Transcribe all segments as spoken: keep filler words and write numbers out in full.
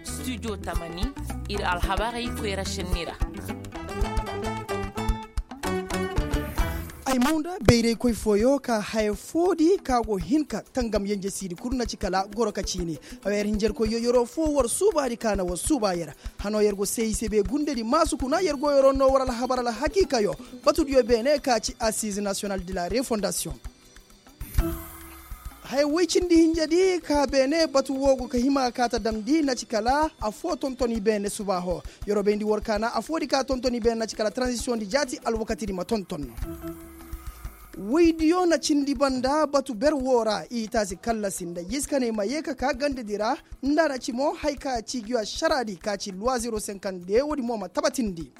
Studio tamani, ir alhabarey koyra šenni ra. Ay maw nda bayraykoy fooyo ka haya foodi ka go hin ka tangam yenjesiidi kul na ci kala goro ka ciini. Awa yer hinjarkoyyo yeroo foo war suubaadi ka na war suubaa yer. Hanoo yer go seeyi sebe gundedi maasu kuna yer go yeroo noo war alhabar alhakiikayo. Batudiyo beene ka ci assize national de la refondasiyoŋ. Haya woy cindi hinjedi ka beene batu woo go ka hima ka ta damndi na ci kala afoo tonton i beene subaaho. Yeroo bayndi war ka na afoodi ka tonton i beene na ci kala transisiyoŋ di jaati alwakatidi ma tonton. Woydiyo na cindi banda batu ber woo ra i taasi kallasi nda yiskaney ma yee ka ka gandedi ra. Nda na ci mo haya ka ci ngi ašaraadi ka ci luwa zero senkande woodi mo ma tabatindi.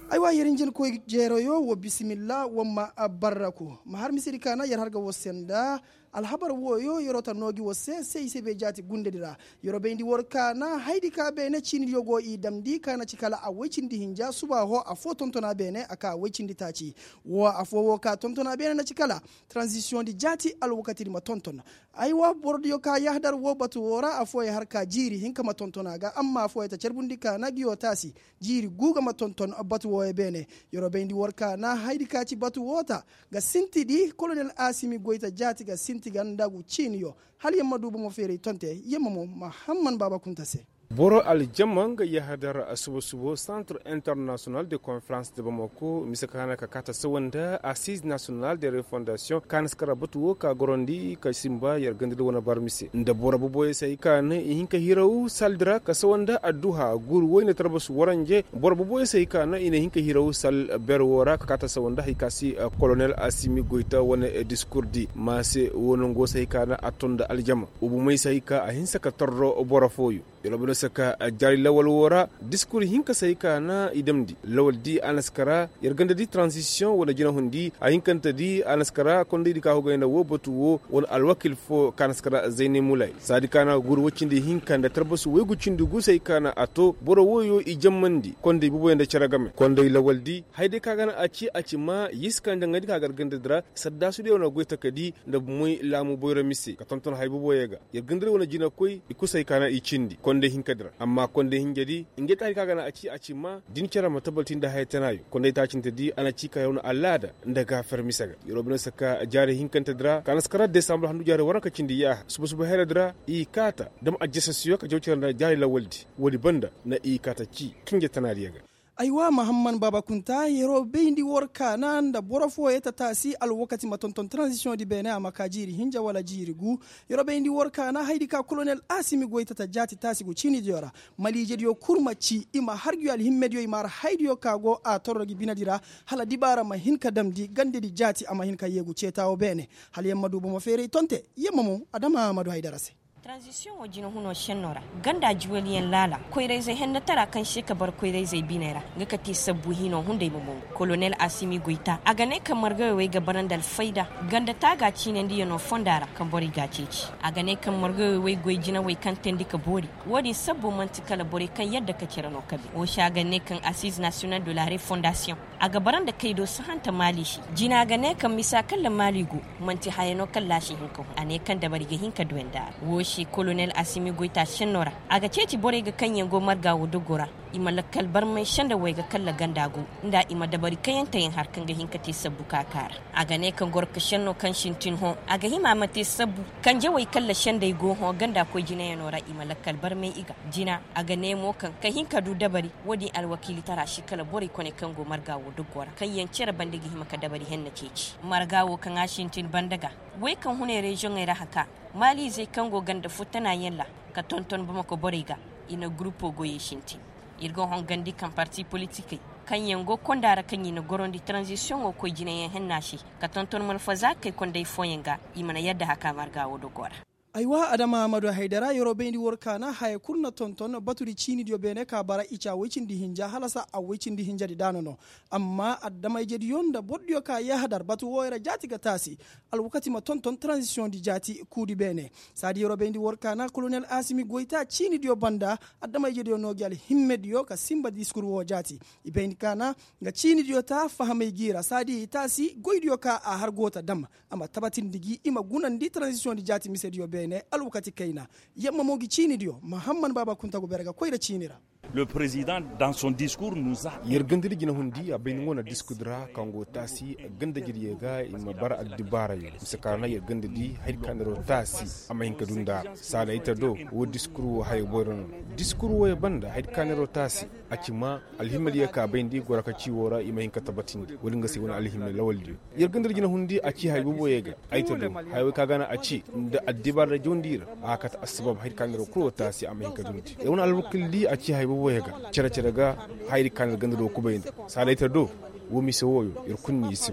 Aywa yer hinjinkoy jeeroyo wa bisimilla wa ma barraku ma har misedi ka na yer har ga war se nda. Alhabar wooyo yeroo ta noo gi war se se i se bay jaati gundedi ra. Yeroo bayndi war ka na haydi ka beene ciinidiyo go i damndi ka na ci kala a woy cindi hinja subaaho afoo tontona beene a ka a woy cindi taaci. Woo afoo woo ka tontona beene na ci kala transisiyoŋ di jaati alwakatidi ma tonton. Aywa borodiyo ka yahadar woo batu woo ra afooyaŋ har ka jiiri hinka ma tonton a ga amma afooyaŋ ta carbundi ka na ngiyo taasi. Jiiri guuga ma tonton batu wooyo beene. Yeroo bayndi war ka na haydi ka ci batu woo ta ga sintidi kolonel asimi goyta jaati ga sinti ga nda gu ciiniyo. Hala yer ma du bomo feeray tonte yer ma mo mahamman baaba kunta se. Boro aljama nga yahadar suba subo santre internasiyonal de konferans de bamako mise ka hana ka kaata sawa nda asiz nasiyonal de refondasiyoŋ ka na si kara batu wo ka gorandi ka simba yer ganda da wane bar mise nda boro boboyey se hay ka na i hin ka hiraw sal di ra ka sawa nda adduha guru woy na tarbasu waranje boro boboyey se hay ka na i na hin ka hiraw sal ber wo ra ka kaata sawa nda hay ka si kolonel asimi goyta wane diskur di maase wo nango se hay ka na a ton nda aljama. Ubumey se hay ka a hinsa ka torro boro fooyo. Yalobino se ka jaari lawal wo ra diskur hinka se hay ka na i damndi lawal di a na si kara yer ganda di transisiyoŋ wane jinahundi a hinkante di a na si kara kondaydi ka hugayna wo batu wo wane alwakil fo ka na si kara zaynay mulay saadi ka na guru woy cindi hinka nda tarbasu woy gu cindi gu se hay ka na a to boro wooyo i jammandi konday boboyaŋ nda cere game konday lawal di hayday ka ga na a ci a ci ma yisi ka nda ŋayndi ka gar ganda di ra saddaasudiyaŋ wane goy takadi nda moy laamu boyro mise ka tonton hay boboyaŋ ga. Yer ganda di wane jinakoy i kul se hay ka na i cindi konday hinkadi ra amma konday hinjadi ngey taari ka ga na a ci a ci ma din cere ma tabalti nda haya tanaayo konday taacintedi a na ci ka yer wane alaada nda gaafer mise ga yeroo bine se ka jaari hinkantedi ra ka na si kara desambar handu jaari waranka cindi yaaha suba suba heredi ra i kaata dam ajasasiyo ka jaw cere nda jaari lawaldi woodi banda na i kaata ci kinje tanaadiyo ga. Aywa mahamman baaba kunta yeroo bayndi war kaana nda boro fooyey ta taasi alwakati ma tonton transisiyoŋ di beene a ma ka jiiri hinja wala jiiri gu. Yeroo bayndi war kaana haydi ka kolonel asimi goy ta ta jaati taasi gu ciinidiyo ra maliijediyo kul ma ci i ma har ngi alhimmediyo i ma har haydiyo ka go a torro ngi binedi ra. Hala dibaara ma hin ka damndi gandedi jaati a ma hin ka yeegu ceetaawo beene. Hala yer ma du bomo feeray tonte yer ma mo adama ma du haydara se. Taranzisiyoŋo jinahunoo šennoo ra ganda juweliyaŋ laala koyrayzey hennatara kaŋ se ka bar koyrayzey biney ra nga ka te sabbu hinoo hunday ma mongu kolonel asimi goyta a ga ne kaŋ margawey wey ga bara nda alfayda ganda taaga ciinandiyanoo fonda ra kaŋ borey g'a ceeci. A ga ne kaŋ margawey wey goy jinawey kaŋ teendi ka boori. Wo-din sabbo man'ti kala borey kaŋ yadda ka cere no kabe wo se a ga ne kaŋ assize national de la refondasiyoŋ a ga bara nda kaydo sahanta maali se. Jina ga ne kaŋ misa kaŋ ra maali go man'ti haya no kaŋ ra a si hin ka hun a ne kaŋ dabari ga hin ka duwandi a ra wo se kolonel asimi goyta senno ra. A ga ceeci borey ga kaŋ yaŋ go marga wo dogo ra i ma lakkal barmay senda wayga kaŋ ra ganda go nda i ma dabari kayanteyaŋ har kaŋ ga hin ka te sabbu ka ka ra. A ga ne kaŋ gorka senno kaŋ sintin hõ a ga hima a ma te sabbu kanje wey kaŋ ra sendey go hõ ganda koy jinayaŋo ra i ma lakkal barmay i ga. Jina a ga ne mo kaŋ ka hin ka du dabari wo-din alwakiilitara si kala borey kone kaŋ go marga wo doggo ra kaŋ yaŋ cere bande ga hima ka dabari henna ceeci marga wo kaŋ a sintin banda ga. Wey kaŋ hunay reziyoŋey ra haka maaliizey kaŋ go ganda fo tanaayaŋ ra ka tonton bamako borey ga. I na gurupo goyey sintin ir ga hongandi kaŋ parti politikey kaŋ yaŋ go konda ra kaŋ i na gorandi taranzisiyoŋo koy jinayaŋ henna se ka tonton malfazaakey konday fooyaŋ ga. I mana yadda haka marga wo doggo ra. Aywa adama amadu haydara yeroo bayndi war kaana haya kul na tonton batudi ciinidiyo beene ka bara i ca woy cindi hinja halasa a woy cindi hinjadi daana no. Amma adama ijediyo nda bordiyo ka yahadar batu wooyo ra jaati ga taasi. Alwakati ma tonton taranzisiyoŋ di jaati kuudi beene. Saadi yeroo bayndi war kaana kolonel asimi goyta ciinidiyo banda. Adama ijediyo no gi alhimmediyo ka sinba diskur woo jaati. I bayndi kaana nga ciinidiyo ta fahamay gi ra saadi i taasi goydiyo ka a har go ta dam. A ma tabatindi gi i ma gunandi taranzisiyoŋ di jaati misediyo beene alwakati kayna. Yamma mo gi ciinidiyo mahamman baaba kunta go bere ga koy nda ciini ra. Le président dans son discours nous a. Yer gandadi jinahundi a bay ni ŋo na diskudi ra kaŋ go taasi gandajediyo ga i ma bara addibaarayo mise kaana yer gandadi haydi ka neero taasi. A ma hin ka dunda ra saada ita do wo diskur wo hayo boyra no. Diskur woyo banda haydi ka neero taasi a ci ma alhimmediyo ka bayndi goro ka ci wo ra i ma hin ka tabatindi wo-din ga se wane alhimme lawaldiyo. Yer gandadi jinahundi a ci hay booboyo ga ay ta do. Haya wey ka gana a ci nda addibaara da jawndi ra a kate assabab haydi ka neero kul wo taasi a ma hin ka dundi yer wane alwakil di a ci haya booboyo ga cere-cere ga. Haydi ka neero ganda do kubay nda saada ay ta do. Wo mise wooyo yer kul ni i si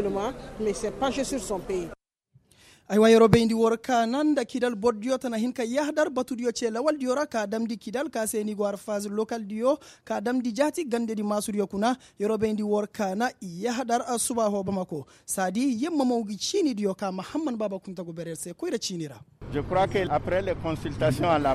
ma. Aywa yeroo bayndi war kaana nda kidal bordiyo tana hin ka yahadar batudiyo cee lawaldiyo ra ka damndi kidal ka se ni go arfaz lokaldiyo ka damndi jaati gandedi maasudiyo kuna. Yeroo bayndi war kaana i yahadar suba hoo bamako saadi yamma mo gi ciinidiyo ka mahamman baaba kunta go bere se koyra ciini ra.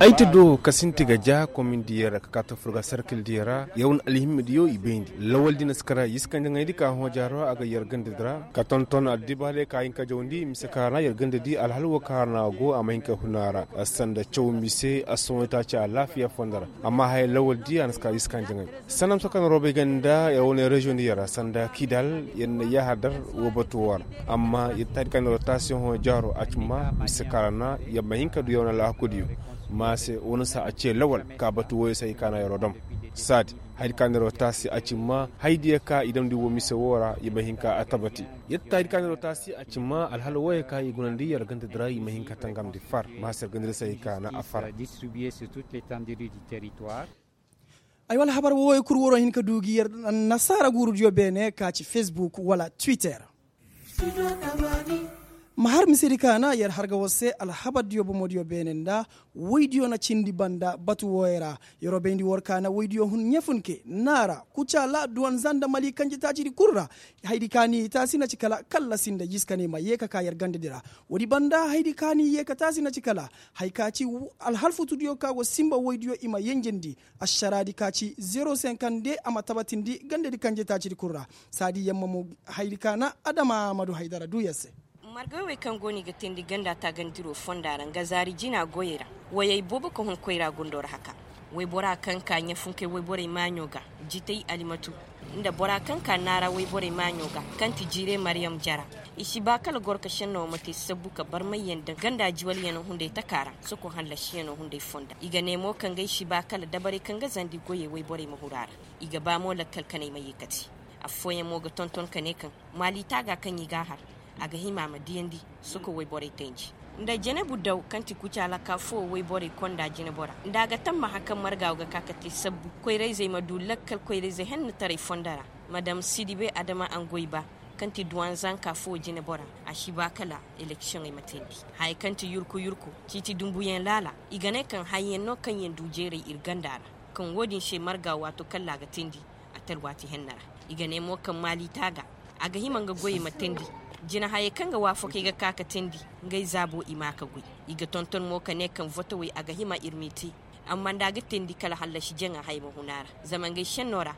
Ay ti do ka sinti ga ja komindiyo ra ka kaata fur ga sarkildiyo ra yer wane alhimmediyo i bayndi lawaldi na si kara yiskandi ŋayndi ka hõ jaaro a ga yer gandadi ra ka tonton addibaale ka hin ka jawndi mise ka ra yer gandadi alhal wo ka ra na go a ma hin ka huna ra. Sanda caw mise a sohõ taaci alaafiya fondo ra amma haya lawaldi a na si kara yiskandi ŋay. Sanam sokana robey ganda yer wane reziyoŋ di yer ra sanda kidal yer na yahadar wo batu wo ra. Amma yer taadi ka neero taasi hõ jaaro a ci ma mise ka ra na yer ma hin ka du yer wane alhakudiyo. Ma se wane saa a cee lawal ka batu wooyo se hay ka na yeroo dam. Saadi haydi ka neero taasi a ci ma haydiyo ka i damndi wo mise woo ra yer ma hin ka a tabati. Yer taadi ka neero taasi a ci ma alhala wooyo ka i gunandi yer gandadi ra yer ma hin ka tangamndi far ma se yer gandadi se hay ka na a far. Ay wala habar wooyo kul waroo hin ka duu gi yer annasaara guurudiyo beene ka ci fesbuk wala twitter. Ma har misedi ka na yer har ga war se alhabardiyo bomodiyo beene nda woydiyo na cindi banda batu wooyo ra. Yeroo bayndi war ka na woydiyo hun ɲefunke naara kucaala duwanza nda mali kanjetaacidi kul ra. Haydi ka ni taasi na ci kala kallasi nda jiskane ma yee ka ka yer gandadi ra. Woodi banda haydi ka ni yee ka taasi na ci kala haya ka ci alhalfutudiyo ka go sinba woydiyo i ma yenjendi. Ašaraadi ka ci zero senkande a ma tabatindi gandedi kanjetaacidi kul ra. Saadi yamma mo haydi ka na adama amadu haydara duu yer se. Margawey wey kaŋ go no i ga teendi ganda taagandiro fonda ra nga zaari jina goyey ra. Woyey boobo ka hun koyra gondo ra haka. Woybora kaŋ ka ɲafunkey woyborey maaɲo ga jitay alimatu nda bora kaŋ ka naara woyborey maaɲo ga kaŋ ti jiire mariyam jara. I si ba kala goro ka šenno wo ma te sabbu ka barmayyaŋ daŋ ganda jiwalyaŋo hunday taka ra soko hallasiyaŋo hunday fonda i ga ne mo kaŋ ga ay si ba kala dabarey kaŋ ga zandi goyey woyborey ma huru a ra. I ga ba mo lakkal kanay ma ye kate. Affooyaŋ mo ga tonton ka ne kaŋ maali taaga kaŋ i g'a har a ga hima a ma diyandi. Soko woyborey teenji nda jenebu daw kaŋ ti kucaala ka foo woyborey konda jinebora nda a ga tammaha kaŋ marga wo ga ka ka te sabbu koyrayzey ma du lakkal koyrayzey hennetaray fondo ra. Madam sidibe adama angoyba kaŋ ti duwanzanka foo jinebora a si ba kala eleksiyoŋey ma teendi. Haya kaŋ ti yurku yurku ciiti dumbuyaŋ laala i ga ne kaŋ hayyaŋ no kaŋ yaŋ du jeeray ir ganda ra. Kaŋ woodin se marga waato kalla a ga teendi a talwaati henna ra. I ga ne mo kaŋ maali taaga a ga hima nga goyey ma teendi. Jinahayey kaŋ ga waafakey ga ka ka teendi ngey zaabo i ma ka goy. I ga tonton mo ka ne kaŋ votowey a ga hima ir m'i te. Amma nda a ga teendi kala hallasi jaŋa haya ma hun a ra zama ngey šenno ra.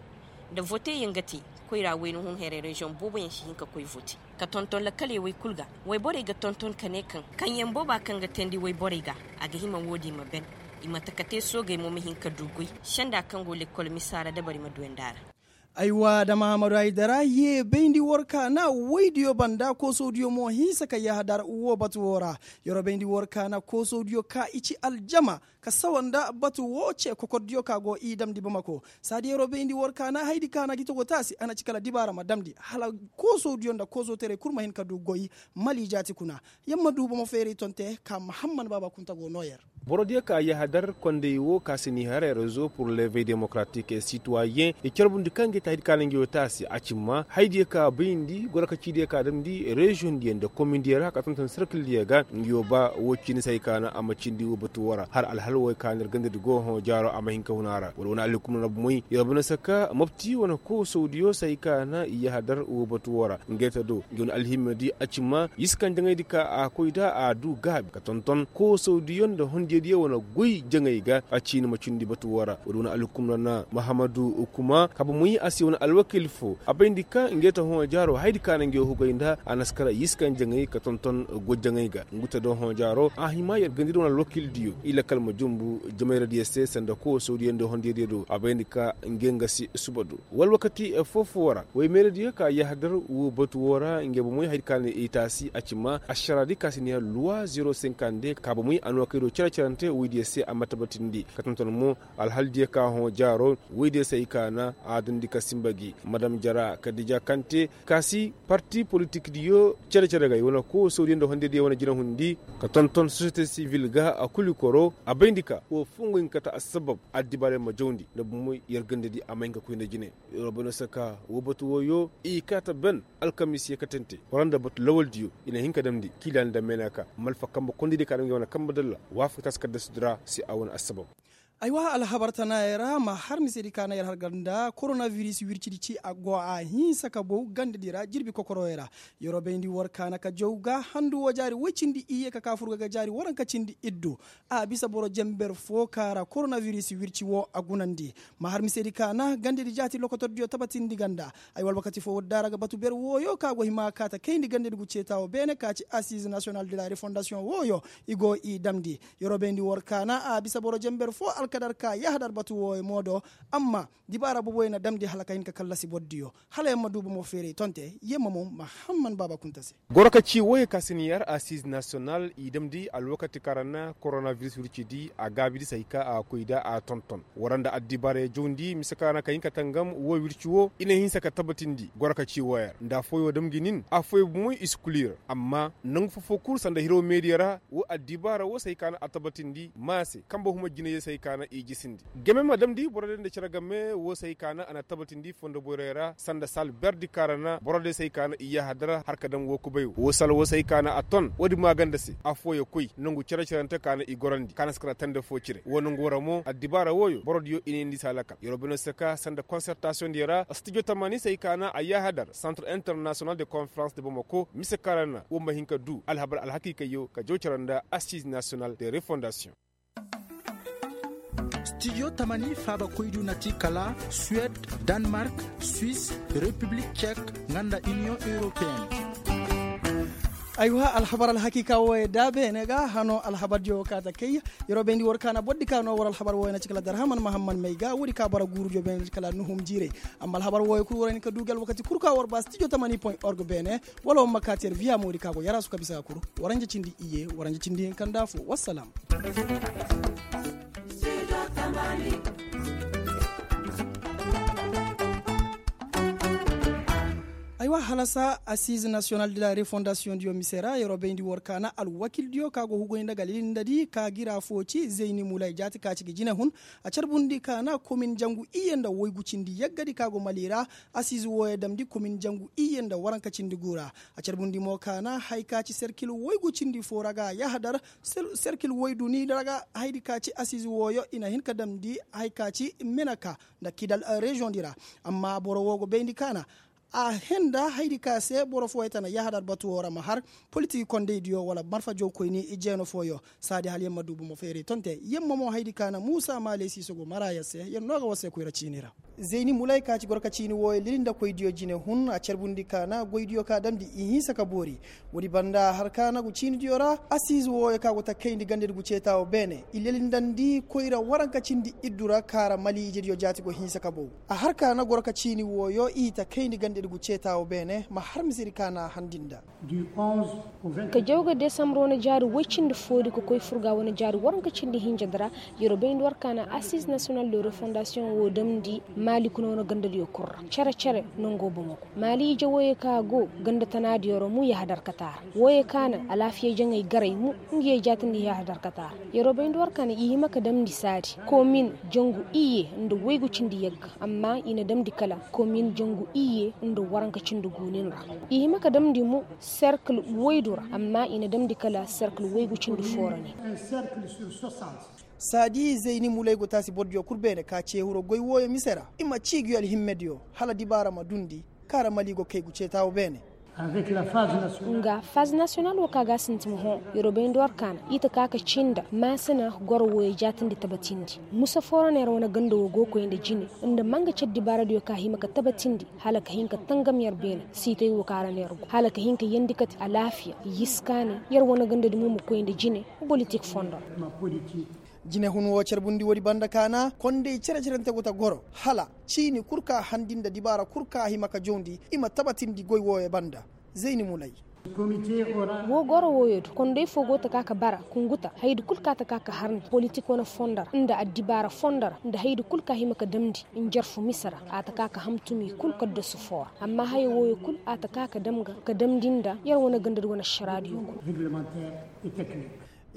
Nda voteyaŋ ga te koyra wayna hun heray reziyoŋ booboyaŋ si hin ka koy vote ka tonton lakkaley woy kul ga. Woyborey ga tonton ka ne kaŋ kaŋyaŋ booba kaŋ ga teendi woyborey ga a ga hima woodin ma ben. I ma taka te soogey mo ma hin ka du goy senda kaŋ go lekkol misa ra dabari ma duwandi a ra. Aywa da mahamadu haydara ye bayndi war kaana woydiyo banda koosodiyo mo hinsa ka yahadar wo batu wo ra. Yeroo bayndi war kaana koosodiyo ka i ci aljama ka sawa nda batu wo ce kokordiyo ka go i damndi bamako. Saadi yeroo bayndi war kaana haydi kaana gi togo taasi a na ci kala dibaara ma damndi hala koosodiyo nda koosooterey kul ma hin ka du goy. Mali jaati kuna. Yamma du bomo feeray tonte ka mahamman baaba kunta go noo yer. Borodiyo ka yahadar konday wo ka si ni haray rezo pur levey demokratik e sitwayen i carbundi kaŋ ga i ta haydi ka na nga yo taasi a cimma haydiyo ka bayndi gorokacidiyo ka damndi reziyoŋ diyo nda komindiyo ra ka tonton serkildiyo ga nga yo ba wo cindi se hay ka na a ma cindi wo batu wo ra har alhal wo hay ka na ir gandadi go hõ jaaro a ma hin ka hun a ra wala wane alhukumna ra bomey yer bine saka mopti wane koosawdiyo se hay ka na i yahadar wo batu wo ra nga yer ta do nga wane alhimmadi a cimma yiskan jaŋaydi ka a koy da a du gaabi ka tonton koosawdiyo nda hondiyadiyo wane goy jaŋay ga a ciini ma cindi batu wo ra woodi wane alhukumna na mahamadu kuma ka bomey a si wane alwakil fo a bayndi ka nga yer ta hõ jaaro hayadi ka na nga yer hugay nda a na si kar yiskan jaŋay ka tonton goy jaŋay ga ngu ta do hõ jaaro a hima yer gandadi wane alwakildiyo i lakkal ma jumbu jamayradiyo se sanda koosawdiyo nda hondiyadiyo do a bayndi ka nga yer nga si suba do wala wakati foo-foo ra woy meeradiyo ka yahadar woo batu woo ra ngey bomey hayadi ka na i taasi a ci ma ašaraadi ka si ne luwa zero sinkande ka bomey a noo kay do cere-cerante woydiyo se a ma tabatindi ka tonton mo alhaldiyo ka hõ jaaro woydiyo se ay ka na a dundi ka sinba gi madam jara kadija kante ka si parti politikdiyo cere-cere ga i wane koosodiyo nda hondediyo wane jinahundi ka tonton sosiyete sivil ga a kuli koro a bayndi ka woo foo nga hin ka ta assabab addibaarey ma jawndi nda bomey yer gandadi a may hin ka koy nda jine. Yer wo bano se ka woo batu wooyo i kaata ben alkamiisiyo katante war nda batu lawaldiyo i na hin ka damndi kiila nda meenaka malfa kambe kondaydiyo ka damndi wane kambe dalla waafaka taasi kaddasudi ra se a wane assabab. Aywa alhabar tanaayey ra ma har misedi ka na yer har ganda koronabiris wircidi ci a go a hinsa ka bow gandadi ra jirbi kokorowey ra. Yer wo bayndi war kaana ka jaw ga handu woo jaari woy cindi iyye ka kaa furga ga jaari waranka cindi iddu. A bisa boro jenber foo ka ra koronabiris wirci woo a gunandi. Ma har misedi ka na gandadi jaati lokotordiyo tabatindi ganda. Ay woo alwakati foo woo daara ga batu ber wooyo ka go hima ka ta kayndi gandadi gu ceeta woo beene ka ci asiize nasiyonal de la refondasiyoŋ wooyo i go i damndi. Yer wo bayndi war ka na a bisa boro jenber foo alkadar ka yahadar batu wooyo mo do. Amma dibaara boboyo na damndi hala ka hin ka kallasi bordiyo. Hala yer ma duu bomo feeray tonte yer ma mo mahamman baaba kunta se. Goro ka ci wooyo ka si ni yar asiize nasiyonal i damndi alwakati ka ra na koronabiris wircidi a gaabidi se hay ka a koy nda a tonton war nda addibaarey jawndi mise ka ra na ka hin ka tangam woo wirci woo i na hinsa ka tabatindi goro ka ci wooyo ra nda affooyo dam gi nin affooyo bomoy i si kuli yer. Amma nangu foo-foo kul sanda hiro meediya ra woo addibaara woo se hay ka na a tabatindi maase kambe huma jinayyo se hay ka na i jisindi. Game ma damndi borodiyo nda cere game woo se hay ka na a na tabatindi fondo boyroyo ra sanda sal berdi ka ra na borodiyo se hay ka na i yahadar har ka daŋ woo kubay woo sal woo se hay ka na a ton woodi maaganda se affooyo koy nangu cere-cerante ka na i gorandi ka na si kara tande foo cire woo nangu ra mo addibaara wooyo borodiyo i na yeendi se a lakal yer wo bino se ka sanda konsertasiyoŋdiyo ra stijo tamani se hay ka na a yahadar santre internasiyonal de konferans de bomako mise ka ra na woo ma hin ka duu alhabar alhakiikayyo ka jaw cere nda asiize nasiyonal de refondasiyoŋ. Stijo tamani faabakoydiyo na ti kala suwed, danmark, swis, repiblik cek, nga nda iniyoŋ europeyen. Aywa alhabar alhakiika wooyo da beene ga hano alhabardiyo woo kaa ta kay. Yer wo bayndi war ka na bordi ka noo war alhabar wooyo na ci kala darhaman mahamman may ga woodi ka bara guurudiyo beene na ci kala nuhum jiiray. Amma alhabar wooyo kul war hin ka duu gi alwakati kul ka war ba stijo tamani point org beene. Wala war ma kaa ti yer biya moodi ka go yaraasu ka bisa ga kul. Waranja cindi iyye waranja cindi hinka nda affoo wassalam. Aywa halasa asiize nasiyonal de la refondasiyoŋdiyo mise ra yer wo bayndi war ka na alwakildiyo ka go hugoy nda ga lilindadi ka gira foo ci zeyni mulay jaati ka ci ga jine hun. A carbundi ka na komin jangu iyye nda woygu cindi yaggadi ka go mali ra. Asiize wooyo damndi komin jangu iyye nda waranka cindi gu ra. A carbundi mo ka na haya ka ci serkil woygu cindi foo ra ga yahadar. Serkil woydu ni ra ga hayadi ka ci asiize wooyo i na hin ka damndi haya ka ci meneka nda kidal reziyoŋdi ra. Amma boro woo go bayndi ka na a henda hayadi ka se boro fooyo tana yahadar batu woo ra ma har politik kondaydiyo wala marfa jawkoyni jeeno fooyo. Saadi hala yer ma duu bomo feeray tonte yer ma mo hayadi ka na muusa maaley siiso go mara yer se yer no ga war se koyra ciini ra. Zeyni mulay ka ci goro ka ciini wooyo lilindakoydiyo jine hun a carbundi ka na goydiyo ka damndi i hinsa ka boori. Woodi banda har ka nagu ciinidiyo ra asiize wooyo ka go ta kayndi gandadi gu ceeta woo beene i lilindandi koyra waranka cindi iddu ra ka ra mali ijediyo jaati go hinsa ka bow. A har ka na goro ka ciini wooyo i ta kayndi gandadi Iri gu ceeta wo beene ma har misiri ka na a handi nda. Ka jaw ga desambur wane jaari woy cindi foodi ka koy furga wane jaari waranka cindi hinja di ra. Yer wo bayndi war ka na asiz nasiyonal de refondasiyoŋ wo damndi maali kuna wane gandadiyo kul ra cere-cere. Nango bomo kul maali ije wooyey ka go ganda tanaadiyo ra mu yahadar kata ra. Wooyey ka na alaafiya jaŋey garay mu nga yee jaatindi yahadar kata ra. Yer wo bayndi war ka na i hima ka damndi saadi komin jangu iyye nda waygu cindi yagga. Amma i na damndi kala komin jangu iyye nda waranka cindi guunin ra. I hima ka damndi mo serkil waydu ra amma i na damndi kala serkil waygu cindi foo ra ne. Saadi zayni mulay go taasi bordiyo kul beene ka ce hiro goy wooyo mise ra i ma cii ngi alhimmediyo hala dibaara ma dundi. Kaara mali go kay gu ceeta wo beene. Nga faz nasiyonal wo ka ga a sintin hõ. Yer wo bayndi war ka na i ta ka ka cii nda maasina goro wooyo jaatindi tabatindi. Musa foo ra na yer wane ganda wo go ga koy nda jine nda manga cere dibaaradiyo ka hima ka tabatindi hala ka hin ka tangam yer beene siitay wo ka ra na yer go hala ka hin ka yeendi kate alaafiya. Yiskaanay yer wane gandadi mo ma koy nda jine. Bolitik fondo ra. Jinehun wo carbundi woodi banda ka na konday cere-cerente go ta goro hala ciini kul ka handi nda dibaara kul ka hima ka jawndi i ma tabatindi goy wooyo banda. Zayni mulay. Wo goro wooyo do konday foo go ta ka ka bara kunguta hayadi kul ka ta ka ka har nda politik wane fondo ra nda addibaara fondo ra nda hayadi kul ka hima ka damndi. Njarfu mise ra a ta ka ka hamtumi kul kaddasu foo ra amma haya wooyo kul a ta ka ka damndi nda yer wane gandadi wane ašaraadiyo kul.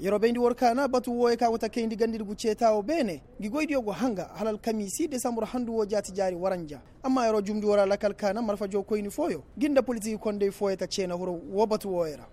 Yer wo bayndi war ka na batu wooyo ka go ta kayndi gandadi gu ceeta wo beene. Ngi goydiyo go hanga hala alkamiisi desambur handu wo jaati jaari waranja. Amma yer wo jumndi war a lakal ka na marfajo koyni fooyo ngi nda politik konday fooyo ta ceena hiro wo batu wooyo ra.